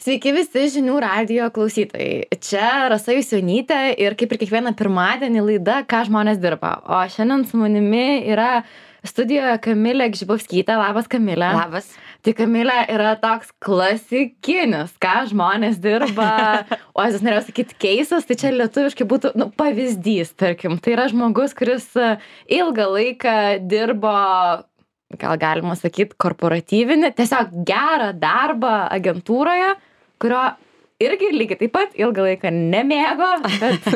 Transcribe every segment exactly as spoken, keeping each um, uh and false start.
Sveiki visi žinių radijo klausytojai. Čia Rasa Jusionytė ir kaip ir kiekvieną pirmadienį laida Ką žmonės dirba. O šiandien su manimi yra studijoje Kamilė Gžibovskytė. Labas, Kamilė. Labas. Tai Kamilė yra toks klasikinis, ką žmonės dirba. O aš norėjau sakyti keisas, tai čia lietuviškai būtų nu, pavyzdys, tarkim. Tai yra žmogus, kuris ilgą laiką dirbo, gal galima sakyti, korporatyvinį, tiesiog gerą darbą agentūroje, kurio irgi lygiai taip pat ilgą laiką nemėgo, bet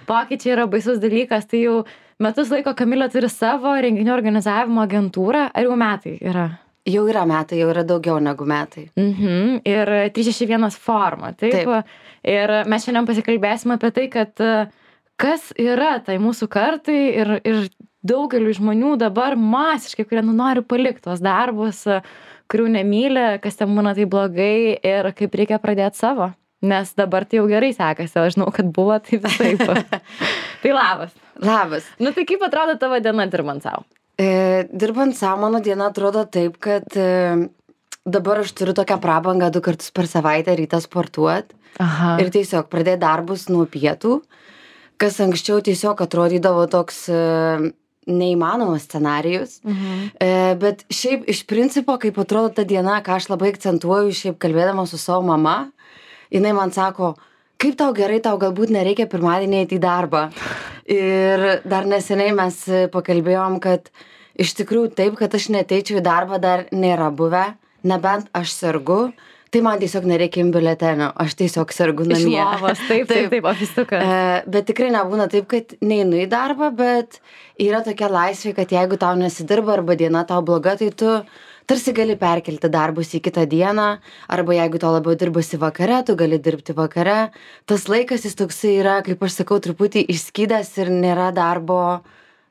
pokyčiai yra baisus dalykas. Tai jau metus laiko Kamilė turi savo renginių organizavimo agentūrą, ar jau metai yra? Jau yra metai, jau yra daugiau negu metai. Mhm. Ir trys šeši vienas forma, taip? Taip. Ir mes šiandien pasikalbėsime apie tai, kad kas yra tai mūsų kartai ir, ir daugeliu žmonių dabar masiškai, kurie nu, nori palikti tuos darbus, kurių nemyli, kas ten būna tai blogai ir kaip reikia pradėti savo. Nes dabar tai jau gerai sekasi, o aš žinau, kad buvo tai visaip. Tai labas. Labas. Nu tai kaip atrodo tavo diena dirbant savo? E, dirbant savo, mano diena atrodo taip, kad e, dabar aš turiu tokią prabangą du kartus per savaitę rytą sportuoti. Aha. Ir tiesiog pradėti darbus nuo pietų, kas anksčiau tiesiog atrodydavo toks e, neįmanomas scenarijus. Mhm. E, bet šiaip iš principo, kaip atrodo ta diena, ką aš labai akcentuoju, šiaip kalbėdama su savo mama, jinai man sako, kaip tau gerai, tau galbūt nereikia pirmadienį eiti į darbą. Ir dar neseniai mes pakalbėjom, kad iš tikrųjų taip, kad aš neteičiau į darbą dar nėra buvę, nebent aš sergu. Tai man tiesiog nereikia imti biuletenio, aš tiesiog sergu namie. Iš lovos, taip, taip, taip, ofistukas. E, bet tikrai nebūna taip, kad neinu į darbą, bet yra tokia laisvė, kad jeigu tau nesidirba arba diena tau bloga, tai tu tarsi gali perkelti darbus į kitą dieną, arba jeigu tau labiau dirbasi vakare, tu gali dirbti vakare. Tas laikas jis toksai yra, kaip aš sakau, truputį išskydęs ir nėra darbo,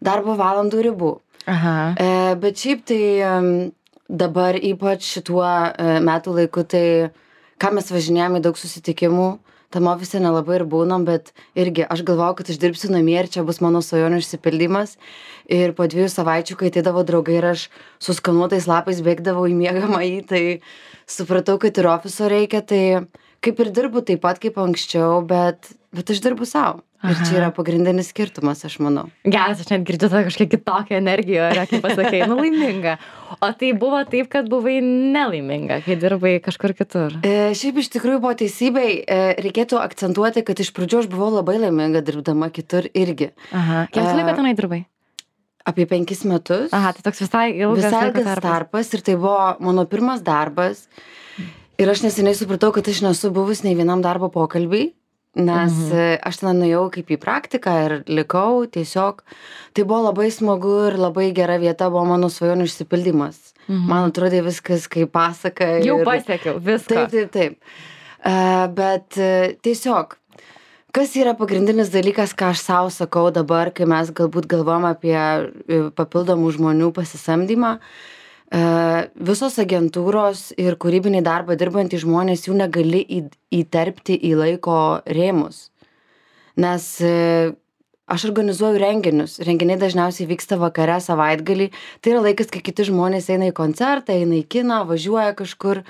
darbo valandų ribų. Aha. E, bet šiaip tai... Um, dabar ypač šituo e, metų laiku, tai ką mes važinėjame į daug susitikimų, tam ofise nelabai ir būnam, bet irgi aš galvojau, kad aš dirbsiu namie ir čia bus mano svajonių išsipildymas. Ir po dviejų savaičių, kai ateidavo draugai ir aš su skanuotais lapais bėgdavau į miegamąjį, tai supratau, kad ir ofiso reikia, tai kaip ir dirbu taip pat kaip anksčiau, bet, bet aš dirbu savo. Ir čia yra pagrindinis skirtumas, aš manau. Geras, aš net girdžiu tą kažkiek kitokią energiją, kaip pasakei, nu laiminga. O tai buvo taip, kad buvai nelaiminga, kai dirbai kažkur kitur? E, šiaip iš tikrųjų buvo teisybei, e, reikėtų akcentuoti, kad iš pradžių aš buvau labai laiminga dirbdama kitur irgi. Aha. Kiek laiko tenai dirbai? Apie penkis metus. Aha, tai toks visai ilgas visai laiko ilgas tarpas. tarpas ir tai buvo mano pirmas darbas. Ir aš neseniai supratau, kad aš nesu buvus nei vienam darbo pokalbiui. Nes mhm. aš ten nuėjau kaip į praktiką ir likau tiesiog. Tai buvo labai smagu ir labai gera vieta, buvo mano svajonių išsipildymas. Mhm. Man atrodė viskas kaip pasaka. Jau ir... pasiekiau viską. Taip, taip, taip. Uh, bet uh, tiesiog, kas yra pagrindinis dalykas, ką aš savo sakau dabar, kai mes galbūt galvom apie uh, papildomų žmonių pasisamdymą. Uh, visos agentūros ir kūrybiniai darbą dirbantys žmonės jų negali į, įterpti į laiko rėmus. Nes uh, aš organizuoju renginius. Renginiai dažniausiai vyksta vakare, savaitgalį. Tai yra laikas, kai kiti žmonės eina į koncertą, eina į kiną, važiuoja kažkur.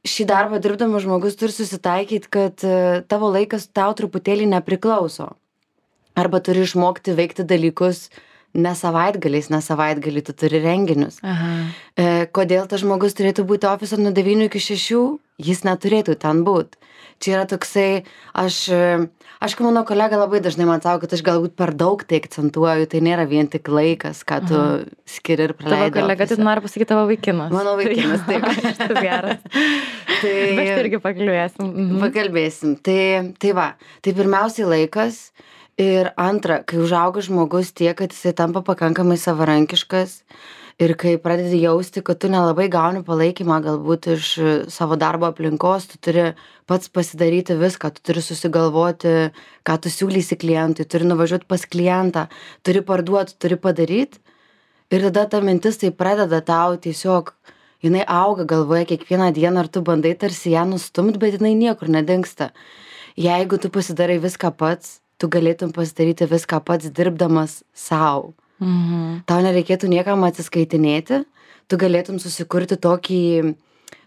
Šį darbą dirbdamas žmogus turi susitaikyti, kad uh, tavo laikas tau truputėlį nepriklauso. Arba turi išmokti veikti dalykus ne savaitgaliais, ne savaitgalį tu turi renginius. Aha. E, kodėl tas žmogus turėtų būti ofise nuo devynių iki šešių? Jis neturėtų ten būti. Čia yra toksai, aš, aišku, mano kolega labai dažnai man sako, kad aš galbūt per daug tai akcentuoju, tai nėra vien tik laikas, ką tu Aha. skiri ir praleidai. Tavo kolega, tai nori pasakyti tavo vaikinas. Mano vaikinas, taip. Tas geras. Tai Bet irgi pakalbėsim. Mhm. Pakalbėsim. Tai, tai va, tai pirmiausiai laikas. Ir antra, kai užauga žmogus tiek, kad jisai tampa pakankamai savarankiškas ir kai pradedi jausti, kad tu nelabai gauni palaikymą galbūt iš savo darbo aplinkos, tu turi pats pasidaryti viską, tu turi susigalvoti, ką tu siūlysi klientui, turi nuvažiuoti pas klientą, turi parduoti, turi padaryti. Ir tada ta mintis tai pradeda tau tiesiog, jinai auga galvoje kiekvieną dieną, ar tu bandai tarsi ją nustumti, bet jinai niekur nedingsta. Jeigu tu pasidarai viską pats, tu galėtum pasidaryti viską pats dirbdamas sau. Mhm. Tau nereikėtų niekam atsiskaitinėti, tu galėtum susikurti tokį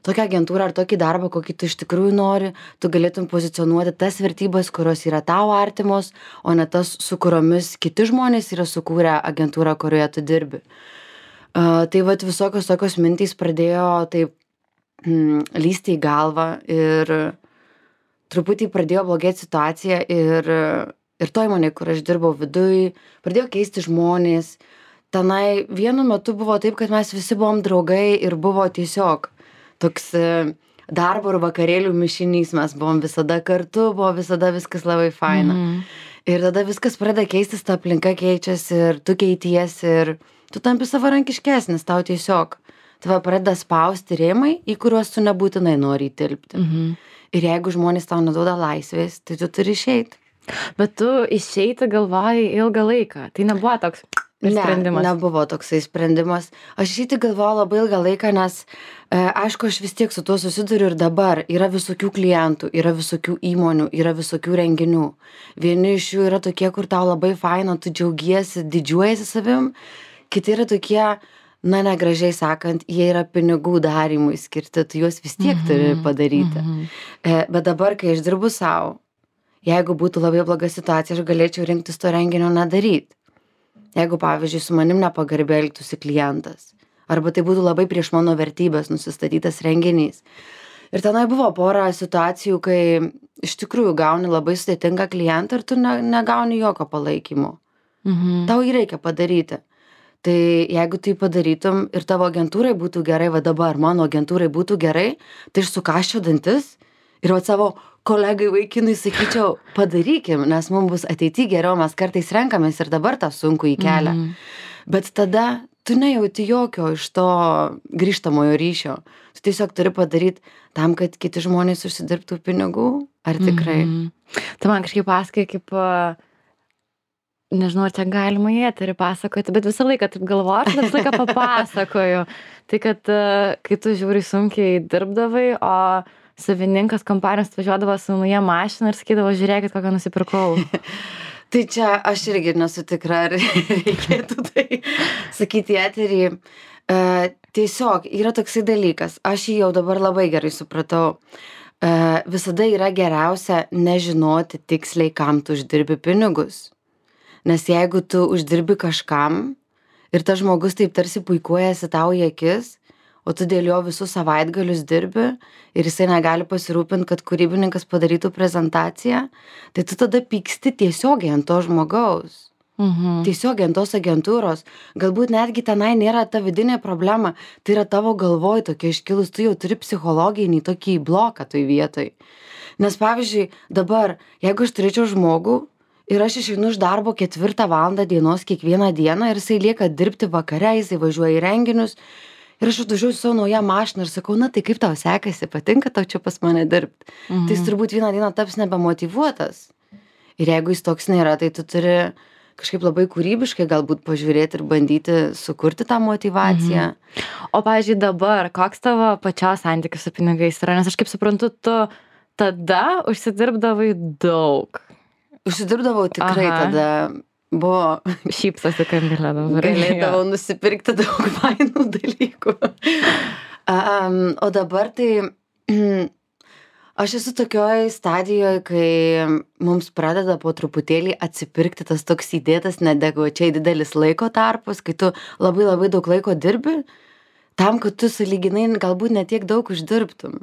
tokią agentūrą ar tokį darbą, kokį tu iš tikrųjų nori, tu galėtum pozicionuoti tas vertybės, kurios yra tau artimos, o ne tas, su kuriomis kiti žmonės yra sukūrę agentūrą, kurioje tu dirbi. Uh, tai vat visokios tokios mintys pradėjo taip mm, lysti į galvą ir truputį pradėjo blogėti situacija ir, ir to įmonė, kur aš dirbau viduj, pradėjo keisti žmonės. Tenai vienu metu buvo taip, kad mes visi buvom draugai ir buvo tiesiog toks darbo ir vakarėlių mišinys, mes buvom visada kartu, buvo visada viskas labai faina. Mm. Ir tada viskas pradeda keistis, ta aplinka keičiasi ir tu keities ir tu tampi savarankiškesnis, tau tiesiog tave pradeda spausti rėmai, į kuriuos tu nebūtinai nori įtilpti. Mhm. Ir jeigu žmonės tau neduoda laisvės, tai tu turi išeiti. Bet tu išeiti galvojai ilgą laiką, tai nebuvo toks sprendimas? Ne, nebuvo toksai sprendimas. Aš išeiti galvojau labai ilgą laiką, nes e, aišku, aš vis tiek su tuo susiduriu ir dabar. Yra visokių klientų, yra visokių įmonių, yra visokių renginių. Vieni iš jų yra tokie, kur tau labai faina, tu džiaugiesi, didžiuojasi savim. Kiti yra tokie, na, negražiai sakant, jie yra pinigų darimui skirti, tu juos vis tiek turi padaryti. Mm-hmm. E, bet dabar, kai aš dirbu savo, jeigu būtų labai bloga situacija, aš galėčiau rinktis to renginio nedaryti. Jeigu, pavyzdžiui, su manim nepagarbiai elgtųsi klientas, arba tai būtų labai prieš mano vertybės nusistatytas renginys. Ir tenai buvo pora situacijų, kai iš tikrųjų gauni labai sudėtingą klientą ir tu ne, negauni jokio palaikymo. Mhm. Tau jį reikia padaryti. Tai jeigu tai padarytum ir tavo agentūrai būtų gerai, va dabar mano agentūrai būtų gerai, tai aš sukaščiau dantis ir va savo kolegai vaikinui sakyčiau, padarykim, nes mums bus ateity geriau, mes kartais renkamės ir dabar tą sunku į kelią. Mm. Bet tada tu nejauti jokio iš to grįžtamojo ryšio. Tu tiesiog turi padaryti tam, kad kiti žmonės užsidirbtų pinigų, ar tikrai? Mm. Tai man kažkaip pasakai, kaip, nežinau, ar čia galima į eterį pasakoti, bet visą laiką taip galvoju, aš visą laiką papasakoju. Tai kad, kai tu žiūri sunkiai dirbdavai, o savininkas kompanijos atvažiuodavo su nauja mašina ir sakydavo, žiūrėkit, kokią nusipirkau. Tai čia aš irgi nesu tikra, ar reikėtų tai sakyti eterį. E, tiesiog yra toksai dalykas, aš jį jau dabar labai gerai supratau. E, visada yra geriausia nežinoti tiksliai, kam tu uždirbi pinigus. Nes jeigu tu uždirbi kažkam ir tas žmogus taip tarsi puikuojasi tau į akis, o tu dėl jo visus savaitgalius dirbi ir jisai negali pasirūpinti, kad kūrybininkas padarytų prezentaciją, tai tu tada pyksti tiesiogiai ant to žmogaus. Mhm. Tiesiogiai ant tos agentūros. Galbūt netgi tenai nėra ta vidinė problema, tai yra tavo galvoj tokia iškilus, tu jau turi psichologinį tokį bloką toj vietoj. Nes pavyzdžiui, dabar, jeigu aš turėčiau žmogų ir aš išeinu iš darbo ketvirtą valandą dienos kiekvieną dieną ir jisai lieka dirbti vakare, jisai važiuoja į renginius, ir aš atvažiuoju savo naują mašiną ir sakau, na tai kaip tau sekasi, patinka tau čia pas mane dirbti. Mhm. Tai jis turbūt vieną dieną taps nebemotyvuotas. Ir jeigu jis toks nėra, tai tu turi kažkaip labai kūrybiškai galbūt pažiūrėti ir bandyti sukurti tą motyvaciją. Mhm. O, pavyzdžiui, dabar, koks tavo pačios santykis su pinigais yra? Nes aš kaip suprantu, tu tada užsidirbdavai daug. Užsidirbdavau tikrai. Aha. Tada. Buvo šypsosi Kamilė dabar. Galėdavau nusipirkti daug fainų dalykų. Um, o dabar tai aš esu tokioj stadijoje, kai mums pradeda po truputėlį atsipirkti tas toks įdėtas neadekvačiai didelis laiko tarpas, kai tu labai labai daug laiko dirbi, tam, kad tu sąlyginai galbūt netiek daug uždirbtum.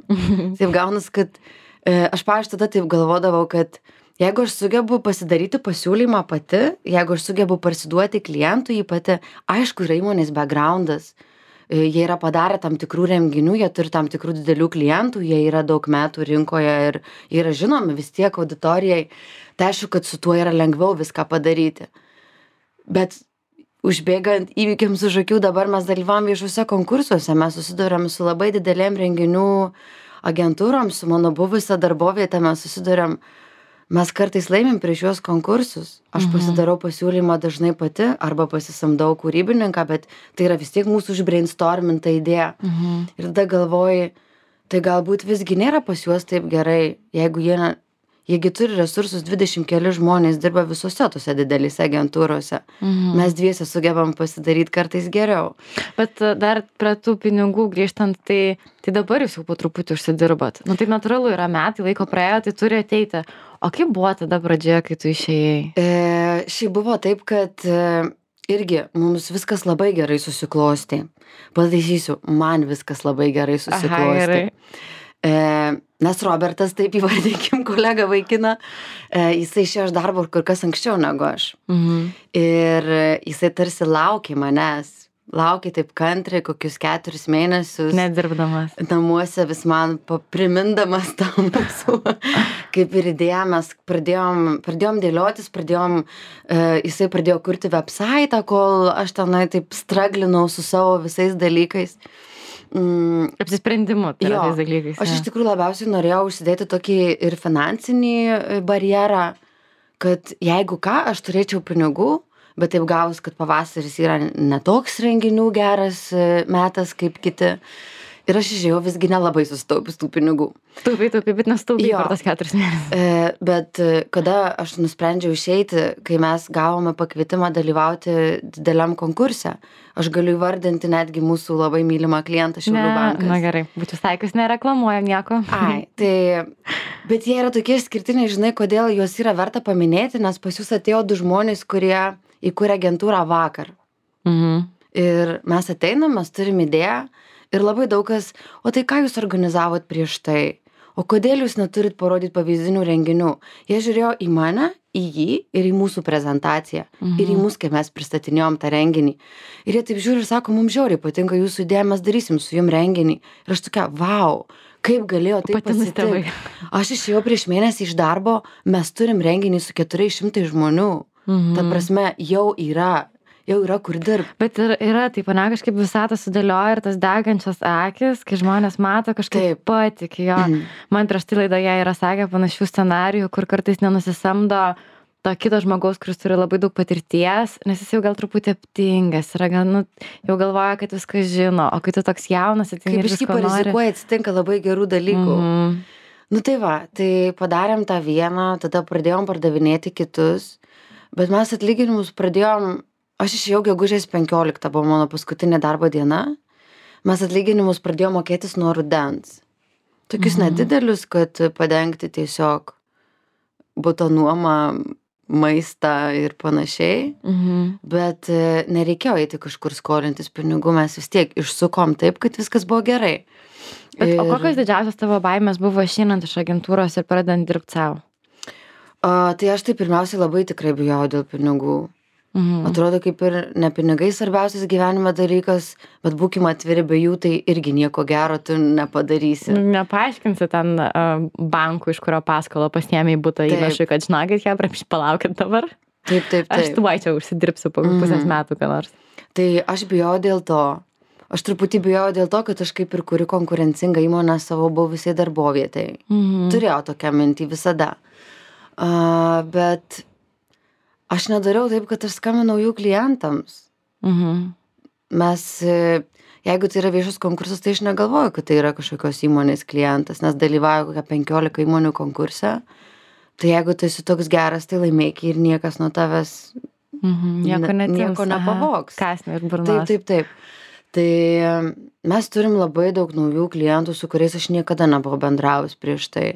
Taip gaunas, kad e, aš pavyzdžiui tada taip galvodavau, kad jeigu aš sugebu pasidaryti pasiūlymą pati, jeigu aš sugebu parsiduoti klientui jį pati, aišku, yra įmonės backgroundas, jie yra padarę tam tikrų renginių, jie turi tam tikrų didelių klientų, jie yra daug metų rinkoje ir yra žinomi vis tiek auditorijai, tai aišku, kad su tuo yra lengviau viską padaryti. Bet užbėgant įvykiams už akių, dabar mes dalyvavom viešuose konkursuose, mes susidurėm su labai didelėm renginių agentūrom, su mano buvusią darbovietę mes susidurėm. Mes kartais laimim prieš juos konkursus. Aš mhm. pasidarau pasiūlymą dažnai pati arba pasisamdau kūrybininką, bet tai yra vis tiek mūsų užbrainstorminta idėja. Mhm. Ir tada galvoji, tai galbūt visgi nėra pas juos taip gerai, jeigu jie, jiegi turi resursus, dvidešimt keli žmonės dirba visose tose didelėse agentūrose. Mhm. Mes dviese sugebam pasidaryti kartais geriau. Bet dar prie tų pinigų grįžtant, tai, tai dabar jūs jau po truputį užsidirbat. Nu tai natūralu, yra metai, laiko praėjo, tai turi ateiti. O kaip buvo tada pradžioje, kai tu išėjai? E, šiaip buvo taip, kad e, irgi mums viskas labai gerai susiklostė. Pataisysiu, man viskas labai gerai susiklostė. Aha, gerai. E, nes Robertas, taip įvardinkim kolegą vaikiną, e, jisai išėjo iš darbo kur kas anksčiau negu aš. Mhm. Ir jisai tarsi laukė manęs. Laukė taip kantriai kokius keturis mėnesius. Nedirbdamas. Namuose vis man primindamas tą mūsų, kaip ir idėją, mes pradėjom, pradėjom dėliotis, pradėjom, e, jisai pradėjo kurti website, kol aš tenai taip straglinau su savo visais dalykais. Mm. Apsisprendimu tai yra tais dalykais. Aš iš tikrųjų labiausiai norėjau užsidėti tokį ir finansinį barjerą, kad jeigu ką, aš turėčiau pinigų, bet taip gavus, kad pavasaris yra netoks renginių geras metas kaip kiti. Ir aš išėjau visgi nelabai susitaupęs tų pinigų. Taupai, taupai, bet nestaupai per tas keturis mėnesius. E, bet kada aš nusprendžiau išeiti, kai mes gavome pakvietimą dalyvauti dideliam konkurse, aš galiu įvardinti netgi mūsų labai mylimą klientą Šiaulių bankas. Na gerai, būtų staikus nereklamuojam nieko. Ai, tai, bet jie yra tokie išskirtiniai, žinai, kodėl juos yra verta paminėti, nes pas jūs atėjo du žmonės, kurie įkūrė agentūrą vakar. Mhm. Ir mes ateinam, mes turim idėją. Ir labai daug kas, o tai ką jūs organizavot prieš tai? O kodėl jūs neturit parodyti pavyzdinių renginių? Jie žiūrėjo į mane, į jį ir į mūsų prezentaciją. Mhm. Ir į mus, kai mes pristatinėjom tą renginį. Ir jie taip žiūri ir sako, mums žiauriai patinka jūsų idėja, mes darysim su jum renginį. Ir aš tokia, vau, kaip galėjo taip atsitikti. Aš išėjau prieš mėnesį iš darbo, mes turim renginį su keturiais šimtais žmonių. Mhm. Ta prasme, jau yra. Jau yra kur dirbti. Bet ir yra, taip, ne, kažkaip visatą sudėlioja ir tas degančias akis, kai žmonės mato, kažkaip patikė jo. Mm. Man prieš tai laidoje yra sakę panašių scenarijų, kur kartais nenusisamdo to kito žmogaus, kuris turi labai daug patirties, nes jis jau gal truputį aptingas, yra gal, nu, jau galvoja, kad viską žino, o kai tu toks jaunas, ateini ir visko nori. Kaip parizikuoja, atsitinka labai gerų dalykų. Mm. Nu tai va, tai padarėm tą vieną, tada pradėjom pardavinėti kitus, bet mes atlyginimus pradėjom. Aš išėjau gegužės penkioliktą, buvo mano paskutinė darbo diena. Mes atlyginimus pradėjome mokėtis nuo rudens. Tokius mhm. nedidelius, kad padengti tiesiog buto nuomą, maistą ir panašiai. Mhm. Bet nereikėjo eiti kažkur skolintis pinigų, mes vis tiek išsukom taip, kad viskas buvo gerai. Bet, ir... O kokios didžiausios tavo baimės buvo išeinant iš agentūros ir pradedant dirbti savo? O, tai aš tai pirmiausiai labai tikrai bijau dėl pinigų. Mhm. Atrodo, kaip ir ne pinigai svarbiausias gyvenime dalykas, bet būkim atviri, be jų tai irgi nieko gero tu nepadarysi. Nepaaiškinsi ten uh, bankų, iš kurio paskolą pasiėmė į butą įnašui, kad žinokit, ją prašy palaukit dabar. Taip, taip, taip. Aš tuoj čia užsidirbsiu po mhm. pusės metų, ką nors. Tai aš bijau dėl to. Aš truputį bijau dėl to, kad aš kaip ir kuriu konkurencingą įmonę savo buvusiai darbovietai. Mhm. Turėjau tokią mintį visada. Uh, bet... Aš nedariau taip, kad aš skambinau jų klientams. Mhm. Mes, jeigu tai yra viešas konkursas, tai aš negalvoju, kad tai yra kažkokios įmonės klientas, nes dalyvauju kokią penkiolika įmonių konkurse. Tai jeigu tu esi toks geras, tai laimėki ir niekas nuo tavęs mhm. nieko, ne, nieko nepavogs. Kasnė ir burnos. Taip, taip, taip. Tai mes turim labai daug naujų klientų, su kuriais aš niekada nebuvau bendravus prieš tai.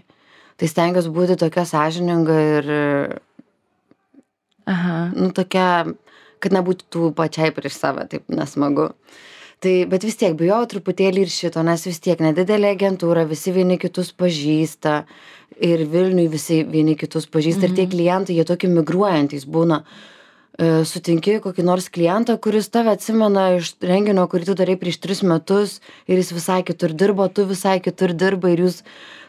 Tai stengiuosi būti tokia sąžininga ir... Aha. Nu, tokia, kad nebūtų tų pačiai prieš save, taip nesmagu. Tai, bet vis tiek bijau truputėlį ir šito, nes vis tiek nedidelė agentūra, visi vieni kitus pažįsta ir Vilniui visi vieni kitus pažįsta mhm. ir tie klientai, jie tokie migruojantys būna. E, sutinki kokį nors klientą, kuris tave atsimena iš renginio, kurį tu darai prieš tris metus ir jis visai kitur dirbo, tu visai kitur dirbai ir jūs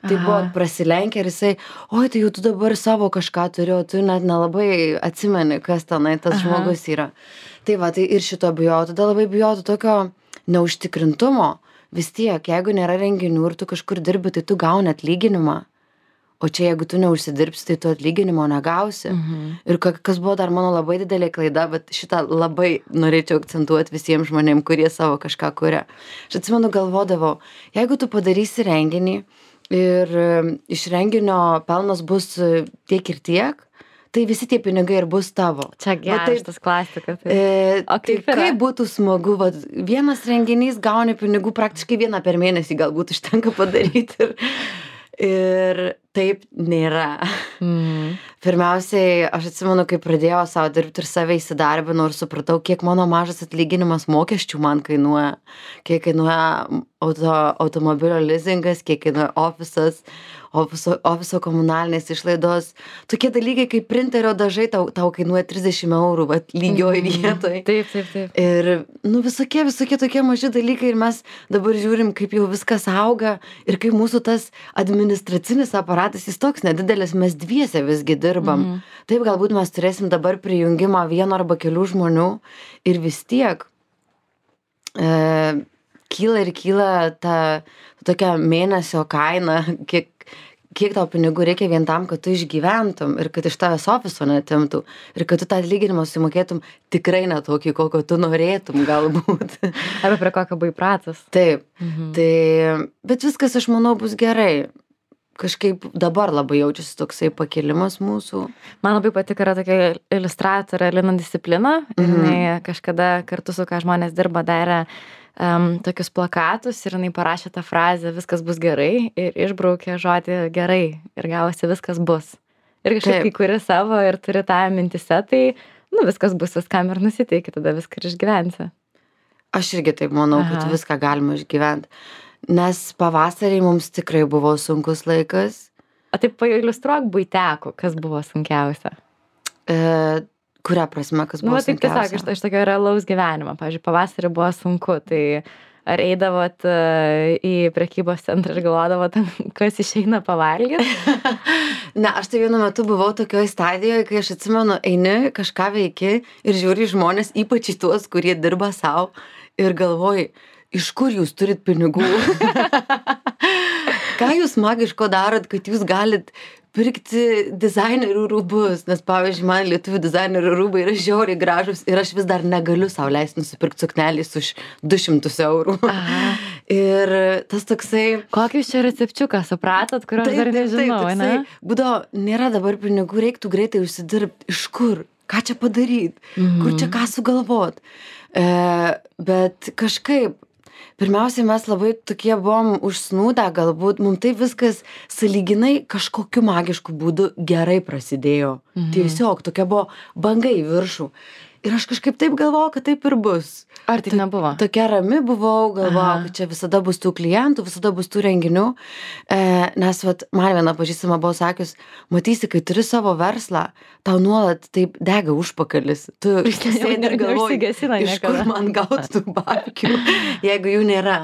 tai buvo prasilenkę ir jisai, oi, tai jau tu dabar savo kažką turi, o tu net nelabai atsimeni, kas tenai tas Aha. žmogus yra. Tai va, tai ir šito bijau, tada labai bijau tokio neužtikrintumo. Vis tiek, jeigu nėra renginių ir tu kažkur dirbi, tai tu gauni atlyginimą. O čia, jeigu tu neužsidirbsi, tai tu atlyginimo negausi. Mhm. Ir kas buvo dar mano labai didelė klaida, bet šitą labai norėčiau akcentuoti visiems žmonėms, kurie savo kažką kuria. Aš atsimenu, galvodavau, jeigu tu padarysi renginį, ir e, iš renginio pelnas bus e, tiek ir tiek, tai visi tie pinigai ir bus tavo. Čia geras tas klasika. Tai. E, O tai kaip yra? kaip būtų smagu, va, vienas renginys gauni pinigų praktiškai vieną per mėnesį galbūt užtenka padaryti. Ir, ir taip nėra. Mm. Pirmiausiai, aš atsimenu, kai pradėjau savo dirbti ir save įsidarbinau ir supratau, kiek mano mažas atlyginimas mokesčių man kainuoja, kiek kainuoja auto, automobilio leasingas, kiek kainuoja ofisas, ofiso, ofiso komunalinės išlaidos. Tokie dalykai kaip printerio dažai tau, tau kainuoja trisdešimt eurų, vat, lygioj vietoj. Taip, taip, taip. Ir, nu, visokie, visokie tokie maži dalykai ir mes dabar žiūrim, kaip jau viskas auga ir kaip mūsų tas administracinis aparatas, jis toks nedidelis, mes dviese visgi dirbam. Mhm. Taip, galbūt mes turėsim dabar prijungimą vieno arba kelių žmonių ir vis tiek e, kyla ir kyla ta tokia mėnesio kaina, kiek kiek tau pinigų reikia vien tam, kad tu išgyventum ir kad iš tavęs ofiso netimtų ir kad tu tą atlyginimą sumokėtum tikrai ne tokį, kokio tu norėtum galbūt. Arba prie kokio buvai pratas. Taip, Mhm. tai, bet viskas, aš manau, bus gerai. Kažkaip dabar labai jaučiasi toksai pakilimas mūsų. Man labai patiko, yra tokia iliustratorė Lina Disciplina. Ir Mhm. jinai kažkada kartu su ką žmonės dirba darė um, tokius plakatus ir jinai parašė tą frazę viskas bus gerai ir išbraukė žodį gerai ir gavosi viskas bus. Ir kažkaip Taip. kai kuri savo ir turi tą mintise, tai nu, viskas bus viskam ir nusiteiki, tada viską ir išgyvensi. Aš irgi taip manau, Aha. kad viską galima išgyventi. Nes pavasarį mums tikrai buvo sunkus laikas. O taip pailiustruok buiteku, kas buvo sunkiausia. E, kuria prasme, kas Nu, buvo va, taip tiesiog sunkiausia? iš, iš tokio realaus gyvenimo. Pavyzdžiui, pavasarį buvo sunku, tai ar eidavot e, į prekybos centrą ir galvodavot, kas išeina pavalgyti? Ne, aš tai vienu metu buvau tokioj stadijoje, kai aš atsimenu, eini, kažką veiki ir žiūri į žmonės, ypač į tuos, kurie dirba savo ir galvoji, iš kur jūs turit pinigų? Ką jūs magiško darot, kad jūs galit pirkti dizainerių rūbus? Nes, pavyzdžiui, man lietuvių dizainerių rūbai yra žiauriai gražus ir aš vis dar negaliu sau leisti nusipirkti suknelės už du šimtus eurų. Aha. Ir tas toksai... Kokį jūs čia recepčiuką supratot, kurio aš dar nežinau, ne? Būdavo, nėra dabar pinigų, reiktų greitai užsidirbti. Iš kur? Ką čia padaryti? Mhm. Kur čia ką sugalvot? E, bet kažkaip, pirmiausiai mes labai tokie buvom užsnūdę, galbūt mums tai viskas sąlyginai kažkokiu magišku būdu gerai prasidėjo. Mhm. Tiesiog tokia buvo banga į viršų. Ir aš kažkaip taip galvojau, kad taip ir bus. Ar taip nebuvo? Tokia rami buvau, galvojau, Aha. kad čia visada bus tų klientų, visada bus tų renginių. E, nes vat, man viena pažįstama buvo sakius, matysi, kai turi savo verslą, tau nuolat taip dega užpakalis. Tu sėdi ir galvoji, Neužsigesina iš kur niekada. man gauti tų babkių, jeigu jų nėra.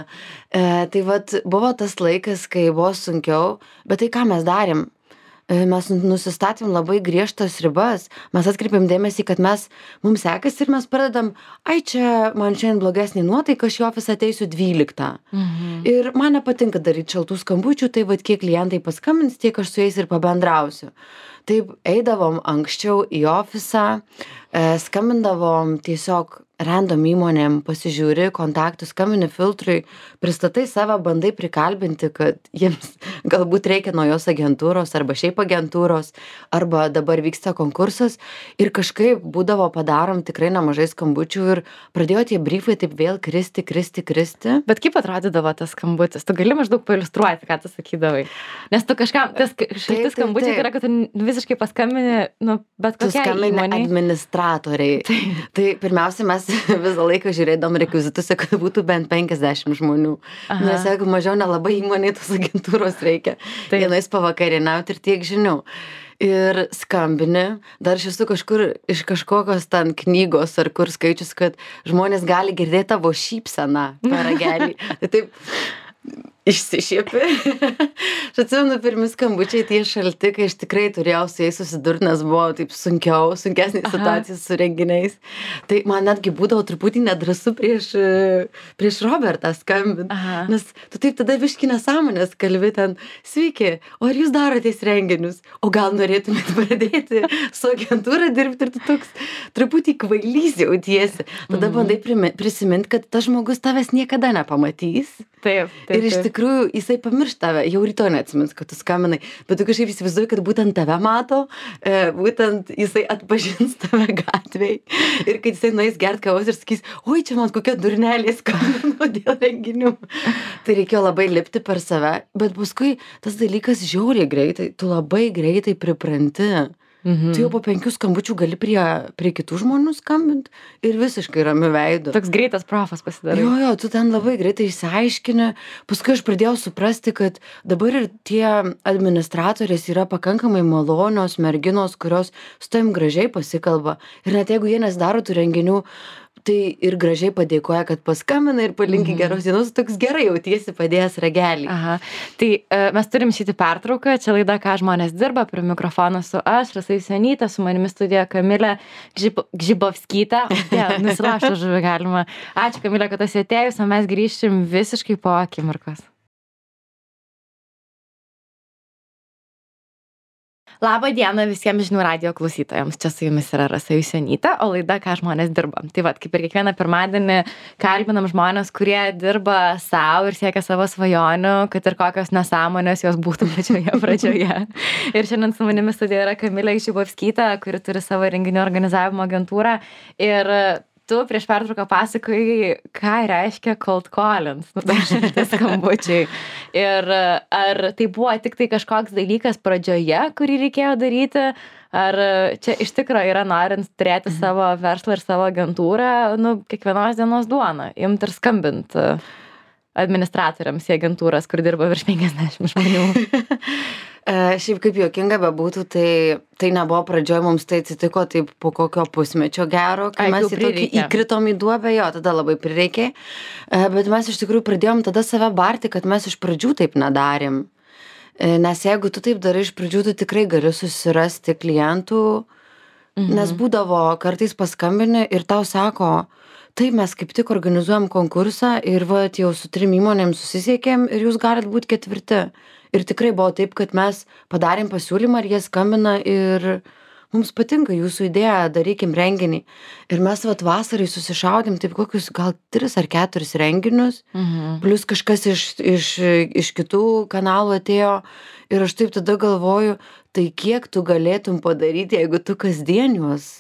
E, tai vat, buvo tas laikas, kai buvo sunkiau, bet tai ką mes darėm? E, Mes nusistatėm labai griežtas ribas, mes atkreipėm dėmesį, kad mes, mums sekasi ir mes pradedam, ai čia man šiandien blogesnė nuotaika, aš į ofisą ateisiu dvyliktą. Mhm. Ir man nepatinka daryti šaltų skambučių, tai vad kiek klientai paskambins, tiek aš su jais ir pabendrausiu. Taip eidavom anksčiau į ofisą, e, skambindavom tiesiog random įmonėm, pasižiūri kontaktų, skambini filtrui, pristatai save, bandai prikalbinti, kad jiems galbūt reikia naujos agentūros arba šiaip agentūros, arba dabar vyksta konkursas ir kažkaip būdavo padarom tikrai nemažai skambučių ir pradėjo tie briefai taip vėl kristi, kristi, kristi. Bet kaip atrodydavo tas skambutis? Tu gali maždaug pailiustruoti, ką tu sakydavai. Nes tu kažkam, tas Taip, šilti taip, skambučiai taip. tai yra, kad tu visiškai paskambini, nu, bet Tu kokiai skambini įmonei. administratoriai. Tai pirmiausia, mes visą laiką žiūrėdom rekvizituose, kad būtų bent penkiasdešimt žmonių. Aha. Nes jeigu mažiau nelabai įmonėj tos agentūros reikia. Taip. Vienais pavakarieniauti ir tiek žinių. Ir skambini, dar aš esu kažkur iš kažkokios ten knygos ar kur skaičius, kad žmonės gali girdėti tavo šypseną per ragelį. Tai taip išsišiepi. Aš atsimenu, pirmi skambučiai tie šalti, kai aš tikrai turėjau su jais susidurti, nes buvo taip sunkiau, sunkesnė Aha. situacija su renginiais. Tai man netgi būdavo truputį nedrąsu prieš, e, prieš Robertą skambinti. Aha. Nes tu taip tada viški nesąmonės kalbi ten, sveiki, o ar jūs darotės renginius? O gal norėtumėt pradėti su agentūra dirbti ir tu toks truputį kvailys jautiesi. Tada Mhm. bandai primi- prisiminti, kad tas žmogus tavęs niekada nepamatys. Taip, taip. Ir iš taip. tikrųjų jisai pamirš tave, jau rytoj neatsimins, kad tu skambinai, bet tu kažkaip įsivaizduoji, kad būtent tave mato, e, būtent jisai atpažins tave gatvėj ir kad jisai nueis gert kavos ir sakys, oi, čia man kokia durnelė skambino dėl renginių. Tai reikėjo labai lipti per save, bet paskui tas dalykas žiauriai greitai, tu labai greitai pripranti. Mhm. Tu jau po penkių skambučių gali prie, prie kitų žmonių skambinti ir visiškai ramiu veidu. Toks greitas profas pasidarai. Jo, jo, tu ten labai greitai išsiaiškini. Paskui aš pradėjau suprasti, kad dabar ir tie administratorės yra pakankamai malonios merginos, kurios su tavim gražiai pasikalba. Ir net jeigu jie nesidaro tų renginių, tai ir gražiai padėkoja, kad paskambina ir palinki geros dienos, toks gerai jautiesi padėjęs ragelį. Aha. Tai uh, mes turim šitį pertrauką, čia laida, ką žmonės dirba, prie mikrofono su aš, Rasa Jusionytė, su manimi studijoje Kamilė Gžib Gžibovskytė. Ja, nusilaštų žuvį galima. Ačiū, Kamilė, kad esi atėjus, o mes grįšim visiškai po akimirkos. Labą dieną visiems žinių radijo klausytojams. Čia su jumis yra Rasa Jusionytė, o laida, ką žmonės dirba. Tai vat, kaip ir kiekvieną pirmadienį kalbinam žmonės, kurie dirba savo ir siekia savo svajonių, kad ir kokios nesąmonės jos būtų pačioje pradžioje. Ir šiandien su manimi studijoje yra Kamilė Gžibovskytė, kuri turi savo renginių organizavimo agentūrą. Ir tu prieš pertrauką pasakojai, ką reiškia cold callings, nu, tai šilti skambučiai. Ir ar tai buvo tik tai kažkoks dalykas pradžioje, kurį reikėjo daryti, ar čia iš tikrųjų yra norint turėti savo verslą ir savo agentūrą, nu, kiekvienos dienos duona, imt ir skambint administratoriams į agentūras, kur dirba virš penkiasdešimt žmonių. E, šiaip kaip juokinga bebūtų, tai, tai nebuvo pradžioj, mums tai atsitiko taip po kokio pusmečio gero, kai Ai, mes jau į tokį prireikė. įkritom į duobę, jo, tada labai prireikė. E, bet mes iš tikrųjų pradėjom tada save barti, kad mes iš pradžių taip nedarėm. E, nes jeigu tu taip darai iš pradžių, tu tikrai gali susirasti klientų, mhm. nes būdavo kartais paskambini ir tau sako, taip, mes kaip tik organizuojam konkursą ir va, jau su trim įmonėm susisiekėm ir jūs galit būti ketvirti. Ir tikrai buvo taip, kad mes padarėm pasiūlymą ir jie skambina ir mums patinka jūsų idėja, darykim renginį. Ir mes vat vasarai susišaudėm taip kokius gal tris ar keturis renginius, Mhm. plus kažkas iš, iš, iš kitų kanalų atėjo. Ir aš taip tada galvoju, tai kiek tu galėtum padaryti, jeigu tu kasdien juos,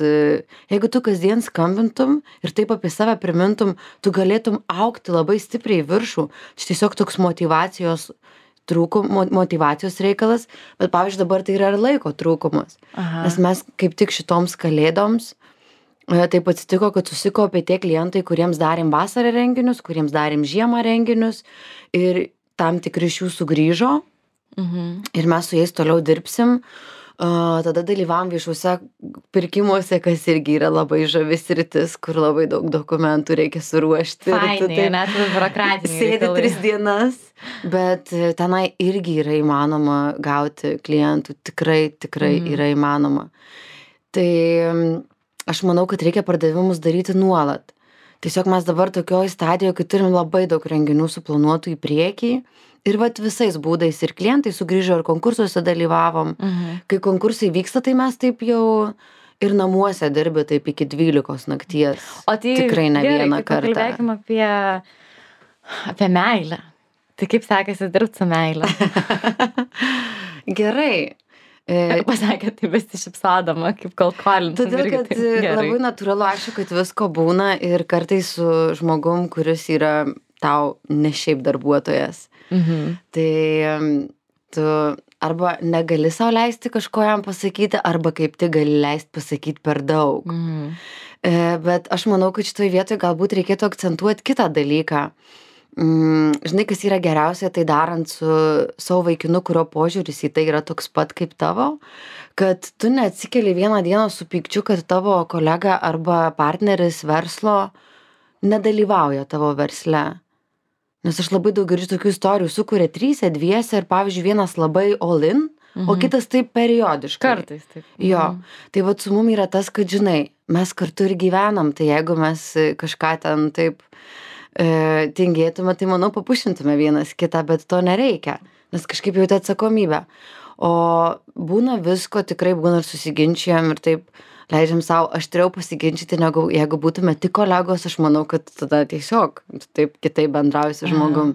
jeigu tu kasdien skambintum ir taip apie save primintum, tu galėtum augti labai stipriai į viršų. Čia tiesiog toks motyvacijos trūkum, motyvacijos reikalas, bet pavyzdžiui dabar tai yra ir laiko trūkumas. Aha. Nes mes kaip tik šitoms kalėdoms e, taip atsitiko, kad susikaupė tie klientai, kuriems darėm vasarą renginius, kuriems darėm žiemą renginius ir tam tikri iš jų sugrįžo Mhm. ir mes su jais toliau dirbsim. Uh, tada dalyvavom viešuose pirkimuose, kas irgi yra labai žavi sritis, kur labai daug dokumentų reikia suruošti. Fainai, net biurokratiniai Sėdi reikalai. tris dienas, bet e, tenai irgi yra įmanoma gauti klientų, tikrai, tikrai Mhm. yra įmanoma. Tai mm, aš manau, kad reikia pardavimus daryti nuolat. Tiesiog mes dabar tokioj stadijoje, kai turim labai daug renginių suplanuotų į priekį. Ir vat visais būdais ir klientai sugrįžo ir konkursuose dalyvavom. Mhm. Kai konkursai vyksta, tai mes taip jau ir namuose dirbi taip iki dvylikos nakties. O tai Tikrai ne gerai, vieną tai kartą. pakalbėkim apie, apie meilę. Tai kaip sekasi dirbti su meilė? Gerai. E, Pasakė, tai besišypsodama, kaip cold calling. Todėl, kad e, labai natūralu, aišku, kad visko būna ir kartais su žmogum, kuris yra tau ne šiaip darbuotojas. Mhm. Tai em, tu arba negali sau leisti kažko jam pasakyti, arba kaip tik gali leisti pasakyti per daug. Mhm. E, bet aš manau, kad šitoj vietoj galbūt reikėtų akcentuoti kitą dalyką. Mm, žinai, kas yra geriausia, tai darant su savo vaikinu, kurio požiūris į tai yra toks pat kaip tavo, kad tu neatsikeli vieną dieną su pykčiu, kad tavo kolega arba partneris verslo nedalyvauja tavo versle. Nes aš labai daug girdžiu tokių istorijų, sukuria tryse, dviese ir pavyzdžiui vienas labai all in, mhm. o kitas taip periodiškai. Kartais taip. Jo, Mhm. tai vat su mum yra tas, kad žinai, mes kartu ir gyvenam, tai jeigu mes e, kažką ten taip e, tingėtume, tai manau papušintume vienas kitą, bet to nereikia, nes kažkaip jauti atsakomybę. O būna visko, tikrai būna ir susiginčijam ir taip leidžiam savo aštriau pasiginčyti, negu jeigu būtume tik kolegos, aš manau, kad tada tiesiog taip kitaip bendrauji su žmogum.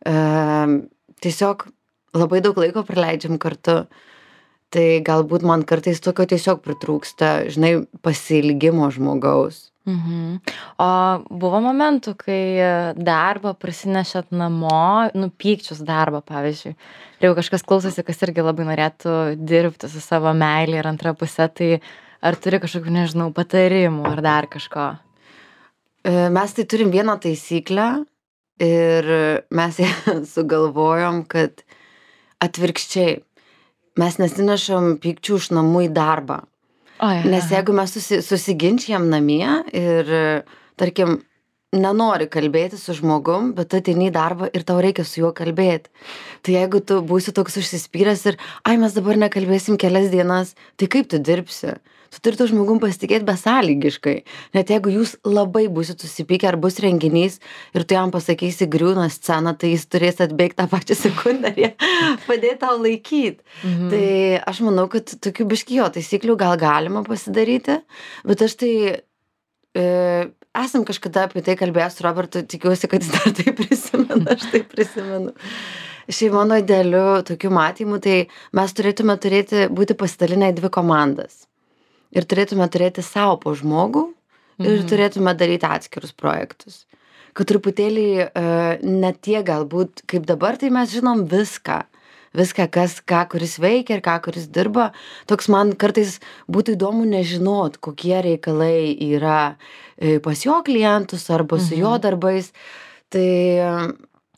tiesiog labai daug laiko praleidžiam kartu. Tai galbūt man kartais tokio tiesiog pritrūksta, žinai, pasiilgimo žmogaus. Mhm. O buvo momentų, kai darbą prasinešėt namo, nu, pykčius darbą, pavyzdžiui. Ir jeigu kažkas klausosi, kas irgi labai norėtų dirbti su savo meilė ir antra pusė, tai ar turi kažkokių, nežinau, patarimų ar dar kažko? Mes tai turim vieną taisyklę ir mes ją sugalvojom, kad atvirkščiai. Mes nesinešam pykčių iš namų į darbą. O, ja, Nes jeigu mes susi, susiginčijam namie ir, tarkim, nenori kalbėti su žmogum, bet tu ateini į darbą ir tau reikia su juo kalbėti. Tai jeigu tu būsi toks užsispyręs ir, ai, mes dabar nekalbėsim kelias dienas, tai kaip tu dirbsi? Tu turi to žmogum pasitikėti besąlygiškai. Net jeigu jūs labai būsit susipykę ar bus renginys ir tu jam pasakysi griūna sceną, tai jis turės atbėgti tą pačią sekundę ir padėti tau laikyti. Mhm. Tai aš manau, kad tokių biškijo taisyklių gal galima pasidaryti, bet aš tai e, esam kažkada apie tai kalbėjęs su Robertu, tikiuosi, kad jis dar tai prisimena, aš tai prisimenu. Šiaip mano idealiu tokiu matymu, tai mes turėtume turėti, būti pasidalinę į dvi komandas. Ir turėtume turėti savo po žmogų ir mhm. turėtume daryti atskirus projektus. Kad truputėlį uh, ne tie galbūt kaip dabar, tai mes žinom viską. Viską, kas, ką kuris veikia ir ką kuris dirba. Toks man kartais būtų įdomu nežinot, kokie reikalai yra pas jo klientus arba su mhm. jo darbais. Tai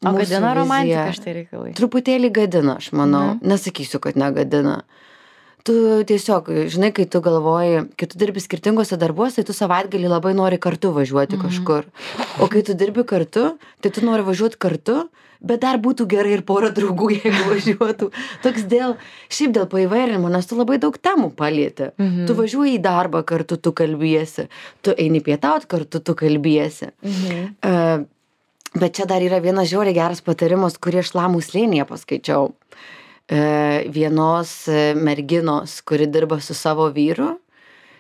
o gadina romantika šitai reikalai? Truputėlį gadina, aš manau. Mhm. Nesakysiu, kad negadina. Tu tiesiog, žinai, kai tu galvoji, kai tu dirbi skirtingose darbuose, tai tu savaitgalį labai nori kartu važiuoti mhm. kažkur. O kai tu dirbi kartu, tai tu nori važiuoti kartu, bet dar būtų gerai ir pora draugų, jeigu važiuotų. Toks dėl, šiaip dėl paįvairinimo, nes tu labai daug temų palieti. Mhm. Tu važiuoji į darbą kartu, tu kalbiesi. Tu eini pietaut kartu, tu kalbiesi. Mhm. Uh, bet čia dar yra vienas žiauriai geras patarimas, kurį aš Lamų slėnyje paskaičiau. Vienos merginos, kuri dirba su savo vyru,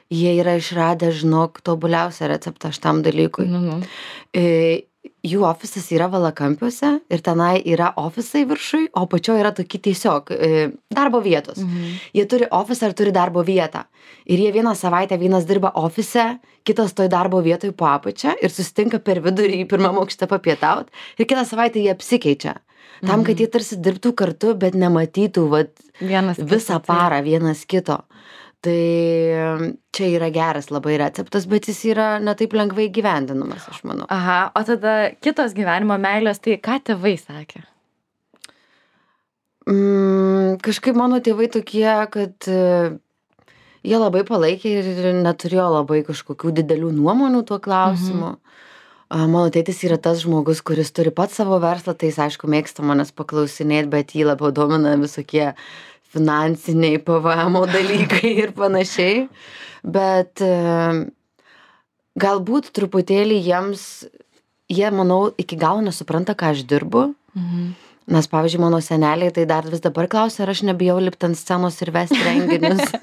jie yra išradę, žinok, tobuliausią receptą šitam dalykui. Mhm. Jų ofisas yra Valakampiuose ir tenai yra ofisai viršui, o pačioje yra tokie tiesiog darbo vietos. Mhm. Jie turi ofisą ir turi darbo vietą. Ir jie vieną savaitę vienas dirba ofise, kitas toj darbo vietoj po apačia ir susitinka per vidurį į pirmą aukštą papietaut ir kitą savaitę jie apsikeičia. Tam, kad jie tarsi dirbtų kartu, bet nematytų vat, vienas visą parą vienas kito. Tai čia yra geras labai receptas, bet jis yra ne taip lengvai gyvendinamas, aš manau. Aha, o tada kitos gyvenimo meilės, tai ką tėvai sakė? Mm, kažkaip mano tėvai tokie, kad uh, jie labai palaikė ir neturėjo labai kažkokių didelių nuomonių tuo klausimu. Mhm. Mano tėtis yra tas žmogus, kuris turi pats savo verslą, tai jis aišku mėgsta manęs paklausinėti, bet jį labiau domina visokie finansiniai P V M dalykai ir panašiai. Bet galbūt truputėlį jiems, jie, manau, iki galo nesupranta, ką aš dirbu. Mhm. Nes, pavyzdžiui, mano seneliai tai dar vis dabar klausia, ar aš nebijau lipti ant scenos ir vesti renginius.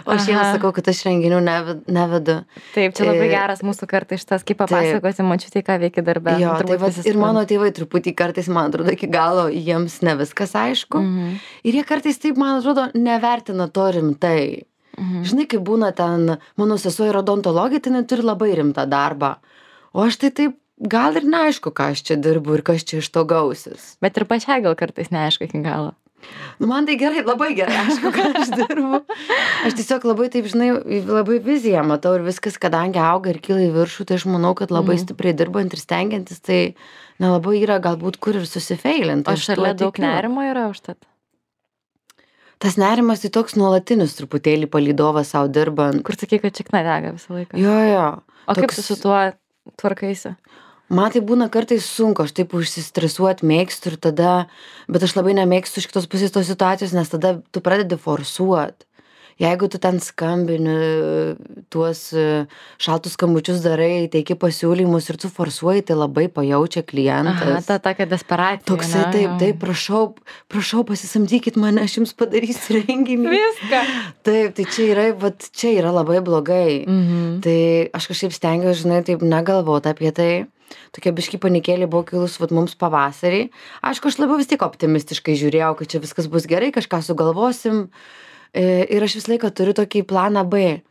O aš jiems sakau, kad aš renginių nevedu. Taip, čia labai geras mūsų kartais šitas, kaip papasakoti mačiutį, ką veikia darbę. Jo, tai va, ir mano tėvai truputį kartais, man atrodo, iki galo jiems ne viskas aišku. Mhm. Ir jie kartais taip, man atrodo, nevertina to rimtai. Mhm. Žinai, kai būna ten, mano sesuo yra odontologė, tai jinai turi labai rimtą darbą. O aš tai taip, gal ir neaišku, ką aš čia dirbu ir kas čia iš to gausis. Bet ir pačiai gal kartais neaišku iki galo. Nu, man tai gerai, labai gerai, aišku, ką aš dirbu. Aš tiesiog labai, taip, žinai, labai viziją matau ir viskas, kadangi auga ir kyla į viršų, tai aš manau, kad labai stipriai dirbant ir stengiantis, tai nelabai yra galbūt kur ir susifeilinti. O šalia daug nerimo yra užtat? Tas nerimas tai toks nuolatinis truputėlį palydovas savo dirbant. Kur sakai, kad čikna dega visą laiką? Jo, jo. O toks... kaip tu su tuo tvarkaisi? Man tai būna kartais sunku, aš taip užsistresuoti mėgstu ir tada, bet aš labai nemėgstu iš kitos pusės tos situacijos, nes tada tu pradedi forsuoti. Jeigu tu ten skambini, tuos šaltus skambučius darai, teiki pasiūlymus ir tu forsuoji, tai labai pajaučia klientas. Aha, ta tokia desperacija. Toksai, ne? taip, taip, prašau, prašau, pasisamdykit mane, aš jums padarysiu renginį. Viską. Taip, tai čia yra, vat, čia yra labai blogai. Mhm. Tai aš kažkaip stengiuosi, žinai, taip negalvoti apie tai. tokia biškį panikėlė buvo kilus vat mums pavasarį. Aišku, aš labiau vis tiek optimistiškai žiūrėjau, kad čia viskas bus gerai, kažką sugalvosim. Ir aš visą laiką turiu tokį planą B.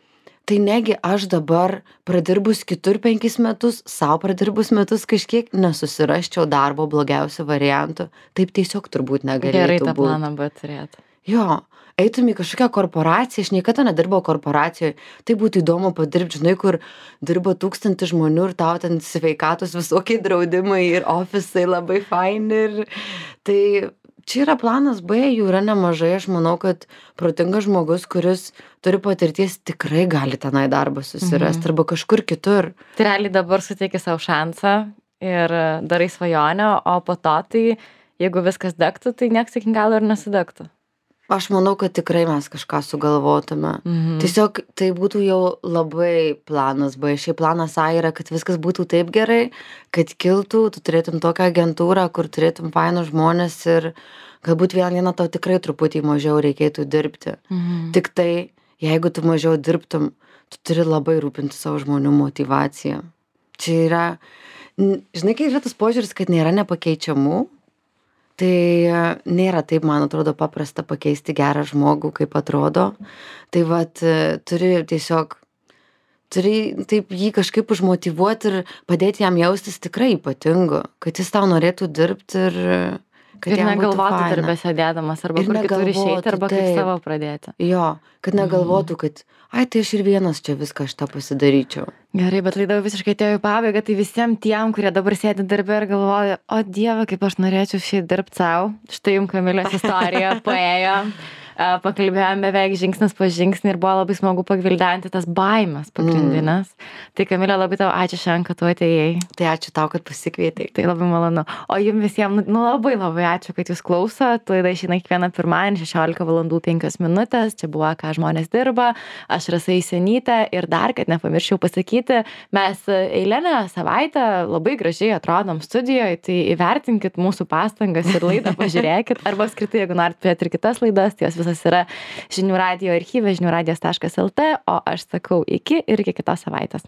Tai negi aš dabar pradirbus kitur penkis metus, savo pradirbus metus kažkiek nesusirasčiau darbo blogiausių variantų. Taip tiesiog turbūt negalėtų Gerai tą būt. planą B turėti. Jo, eitum į kažkokią korporaciją, aš niekada nedirbau korporacijoje, tai būtų įdomu padirbti, žinai, kur dirba tūkstantį žmonių ir tau ten sveikatos visokie draudimai ir ofisai labai faini. Ir tai čia yra planas B, jų yra nemažai, aš manau, kad protingas žmogus, kuris turi patirties, tikrai gali tenai darbą susirasti Mhm. arba kažkur kitur. Tai realiai dabar suteiki savo šansą ir darai svajonę, o po to tai, jeigu viskas degtų, tai nieks iki galo ir nesidegtų. Aš manau, kad tikrai mes kažką sugalvotume. Mhm. Tiesiog tai būtų jau labai planas B. Šiaip planas A yra, kad viskas būtų taip gerai, kad kiltų, tu turėtum tokią agentūrą, kur turėtum fainus žmonės ir galbūt vieną dieną tau tikrai truputį mažiau reikėtų dirbti. Mhm. Tik tai, jeigu tu mažiau dirbtum, tu turi labai rūpinti savo žmonių motyvaciją. Čia yra, n- žinai, kai yra tas požiūris, kad nėra nepakeičiamų, tai e, nėra taip, man atrodo, paprasta pakeisti gerą žmogų, kaip atrodo. Tai vat e, turi tiesiog, turi taip jį kažkaip užmotyvuoti ir padėti jam jaustis tikrai ypatingu, kad jis tau norėtų dirbti ir e, kad Ir jam būtų negalvotų faina. darbę sėdėdamas, arba Ir kur kitur negalvotų, išeiti, arba kaip taip. savo pradėti. Jo, kad negalvotų, kad ai, tai aš ir vienas čia viską šitą pasidaryčiau. Gerai, bet laida jau visiškai atėjo į pabaigą, tai visiems tiem, kurie dabar sėdi darbę ir galvoja, o Dieve, kaip aš norėčiau šiai dirbti savo. Štai jums Kamilės istorija paėjo. A, pakalbėjome beveik žingsnis po žingsnį ir buvo labai smagu pagvildenti tas baimės pagrindinės. Tai Kamilė, labai tau ačiū šiandien, kad tu atėjai. Tai ačiū tau, kad pasikvietei. Tai labai malonu. O jums visiems, nu, nu labai labai ačiū, kad jūs klausot. Laida išeina kiekvieną pirmadienį šešiolika valandų penkios minutės. Čia buvo Ką žmonės dirba. Aš Rasa Isenytė ir dar, kad nepamirščiau pasakyti, mes eilinę savaitę labai gražiai atrodom studijoje, tai įvertinkit mūsų pastangas ir laidą pažiūrėkit. Arba skirtai, jeigu norit turėti ir kitas laidas, tai jos visas yra žinių radijo archyve, žinių radijas taškas lt, o aš sakau iki ir iki kitos savaitės.